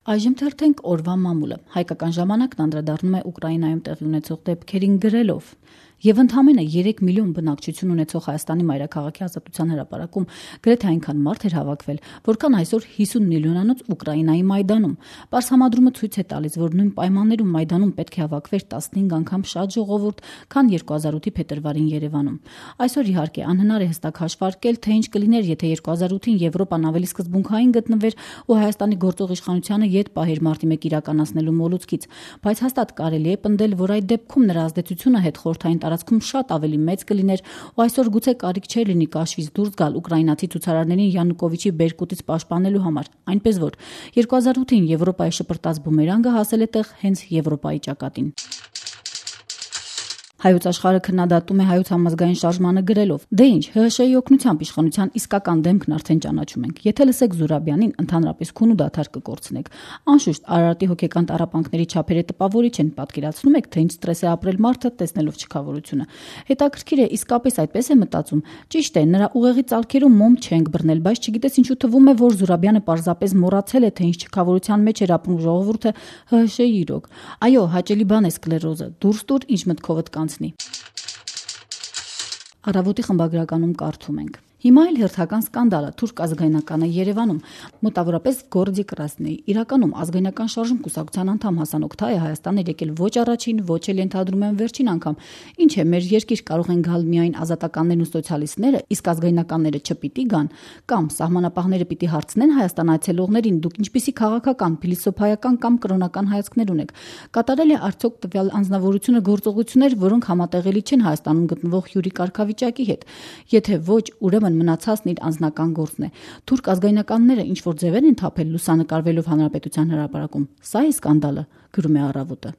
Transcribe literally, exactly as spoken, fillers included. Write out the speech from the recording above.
Այժմ թերթենք օրվա մամուլը։ Հայկական ժամանակն անդրադառնում է Ուկրաինայում տեղի ունեցող դեպքերին գրելով. Եվ ընդամենը երեք միլիոն բնակչություն ունեցող Հայաստանի մայրաքաղաքի ազատության հրապարակում գրեթե այնքան մարդ էր հավաքվել, որքան այսօր հիսուն միլիոնանոց Ուկրաինայի Մայդանում։ Պարս համադրումը ցույց է տալիս, որ նույն պայմաններում Մայդանում պետք է հավաքվեր տասնհինգ անգամ շատ ժողովուրդ, քան երկու հազար ութի փետրվարին Երևանում։ Այսօր իհարկե անհնար է հստակ հաշվարկել, թե ինչ կլիներ, եթե երկու հազար ութին Եվրոպան ավելի սկզբունքային գտնվեր ու Հայաստանի գործող իշխանությանը ետ պահեր մարտի մեկ իրականացնելու մոլուցքից, բայց հաստատ կարելի է պնդել, որ այդ դեպքում նրա ազդեցությունը հետխորհրդային տարածքում շատ ավելի մեծ կլիներ ու այսօր գուցե կարիք չէր լինի կաշվից դուրս գալ ուկրաինացի ցուցարարներին Յանուկովիչի բերկուտից պաշտպանելու համար, այնպես որ երկու հազար ութին Եվրոպայի շպրտած բումերանգը հասել է տեղ հենց Եվրոպայի ճակատին։ Հայոց աշխարհը քննադատում է Հայոց համազգային շարժմանը գրելով. «Դե ինչ, ՀՀՇ-ի օգնությամբ իշխանության իսկական դեմքն արդեն ճանաչում ենք։ Եթե լսեք Զուրաբյանին, ընդհանրապես քուն ու դադար կկորցնեք։ Անշուշտ, Արարատի հոգեկան տառապանքների չափերը տպավորիչ են, պատկերացնում եք, թե ինչ ստրես է ապրել մարդը, տեսնելով չքավորությունը։ Հետաքրքիր է, իսկապես այդպես է մտածում։ Ճիշտ է, նրա ուղեղի ծալքերում մոմ չենք բռնել, բայց չգիտես ինչու թվում է, որ Զուրաբյանը պարզապես մոռացել է, թե ինչ չքավորության մեջ էր ապրում ժողովուրդը ՀՀՇ-ի իրոք։ Այո, հաճելի բան է սկլերոզը, դուրս տուր, ինչ մտքովդ կանցնի»։ Առավոտի խմբագրականում կարդում ենք. Հիմա էլ հերթական սկանդալը թուրք ազգայնականը Երևանում մոտավորապես Գորդի Կրասնեի իրականում ազգայնական շարժում կուսակցության անդամ Հասան Օքթայը Հայաստան էր եկել ոչ առաջին, ոչ էլ ենթադրում եմ վերջին անգամ։ Ինչ է, մեր երկիր կարող են գալ միայն ազատականներն ու սոցիալիստները, իսկ ազգայնականները չպիտի գան, կամ սահմանապահները պիտի հարցնեն Հայաստան այցելողներին, դուք ինչպիսի քաղաքական, փիլիսոփայական կամ կրոնական հայացքներ ունեք։ Կատարել է արդյոք տվյալ անձնավորությունը գործողություններ, որոնք համատեղելի չեն Հայաստանում գտնվող հյուրի կարգավիճակի հետ։ Եթե ոչ, ուրեմն մնացածն իր անձնական գործն է։ Թուրք ազգայնականները ինչ որ ձևեր են թափել լուսանկարվելով հանրապետության հրապարակում։ Սա է սկանդալը, գրում է Առավոտը։